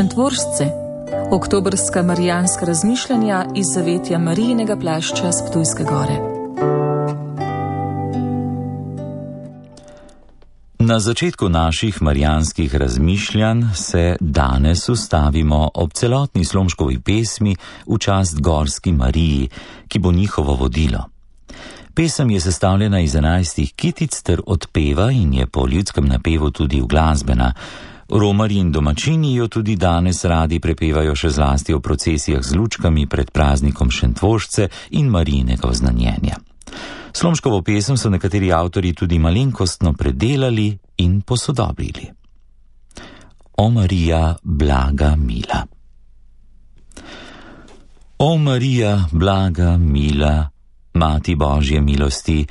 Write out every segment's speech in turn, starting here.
Šentvoržce, oktobrska marijanska razmišljanja iz zavetja Marijinega plašča s Ptujske gore. Na začetku naših marijanskih razmišljanj se danes ustavimo ob celotni Slomškovi pesmi v čast Gorski Mariji, ki bo njihovo vodilo. Pesem je sestavljena iz 11 kitic ter odpeva in je po ljudskem napevu tudi uglasbena. Romarji in domačini jo tudi danes radi prepevajo, še zlasti v procesijah z lučkami pred praznikom Šentvoržce in Marijinega oznanjenja. Slomškovo pesem so nekateri avtorji tudi malenkostno predelali in posodobili. O Marija, blaga, mila. O Marija, blaga, mila, Mati Božje milosti,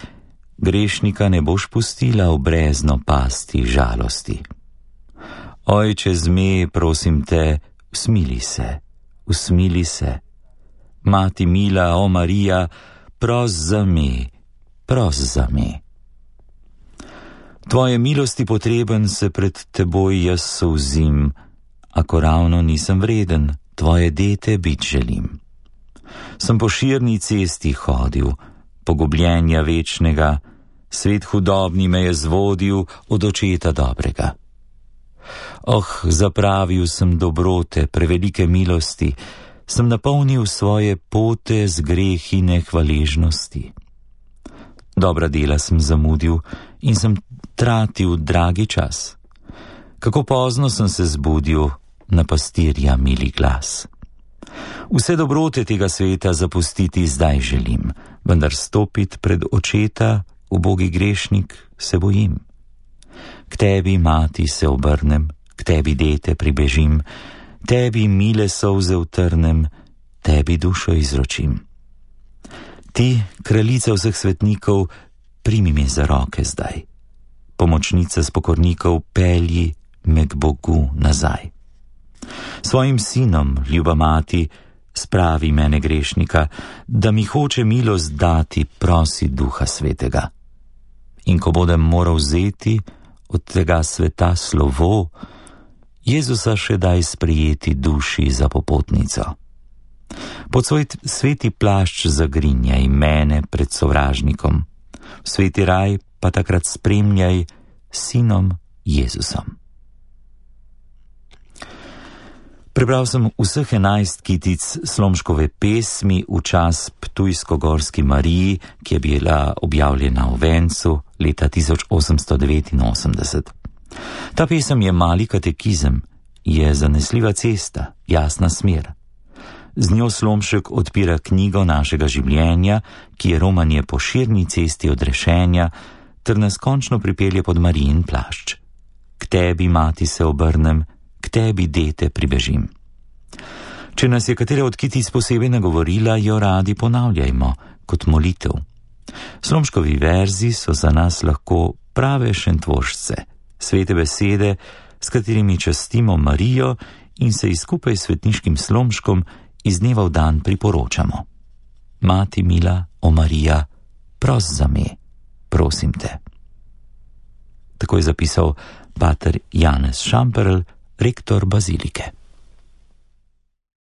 grešnika ne boš pustila v brezno pasti žalosti. Ojče zme, prosim te, usmili se. Mati mila, o Marija, pros za me. Tvoje milosti potreben se pred teboj jaz solzim, ako ravno nisem vreden, tvoje dete bit želim. Sem po širni cesti hodil, pogubljenja večnega, svet hudobni me je zvodil od očeta dobrega. Zapravil sem dobrote, prevelike milosti, sem napolnil svoje pote z grehi nehvaležnosti. Dobra dela sem zamudil in sem tratil dragi čas. Kako pozno sem se zbudil na pastirja mili glas. Vse dobrote tega sveta zapustiti zdaj želim, vendar stopiti pred očeta, ubogi grešnik, se bojim. K tebi, mati, se obrnem, k tebi, dete, pribežim, tebi mile solze utrnem, tebi dušo izročim. Ti, kraljica vseh svetnikov, primi me za roke zdaj. Pomočnica spokornikov, pelji me k Bogu nazaj. Svojim sinom, ljuba mati, spravi mene grešnika, da mi hoče milost dati, prosi Duha Svetega. In ko bodem moral vzeti od tega sveta slovo, Jezusa še daj sprejeti duši za popotnico. Pod svoj sveti plašč zagrinjaj mene pred sovražnikom, v sveti raj pa takrat spremljaj sinom Jezusom. Prebral sem vseh 11 kitic Slomškove pesmi v čas Ptujsko-Gorski Mariji, ki je bila objavljena v Vencu leta 1889. Ta pesem je mali katekizem, je zanesljiva cesta, jasna smer. Z njo Slomšek odpira knjigo našega življenja, ki je romanje po širni cesti odrešenja, ter nas končno pripelje pod Marijin plašč. K tebi, mati, se obrnem, k tebi, dete, pribežim. Če nas je katera od kitic posebej nagovorila, jo radi ponavljajmo kot molitev. Slomškovi verzi so za nas lahko prave šentvoržce, svete besede, s katerimi častimo Marijo in se ji skupaj s svetniškim Slomškom iz dneva v dan priporočamo. Mati mila, o Marija, pros za me, prosim te. Tako je zapisal pater Janez Šamperl, rektor bazilike.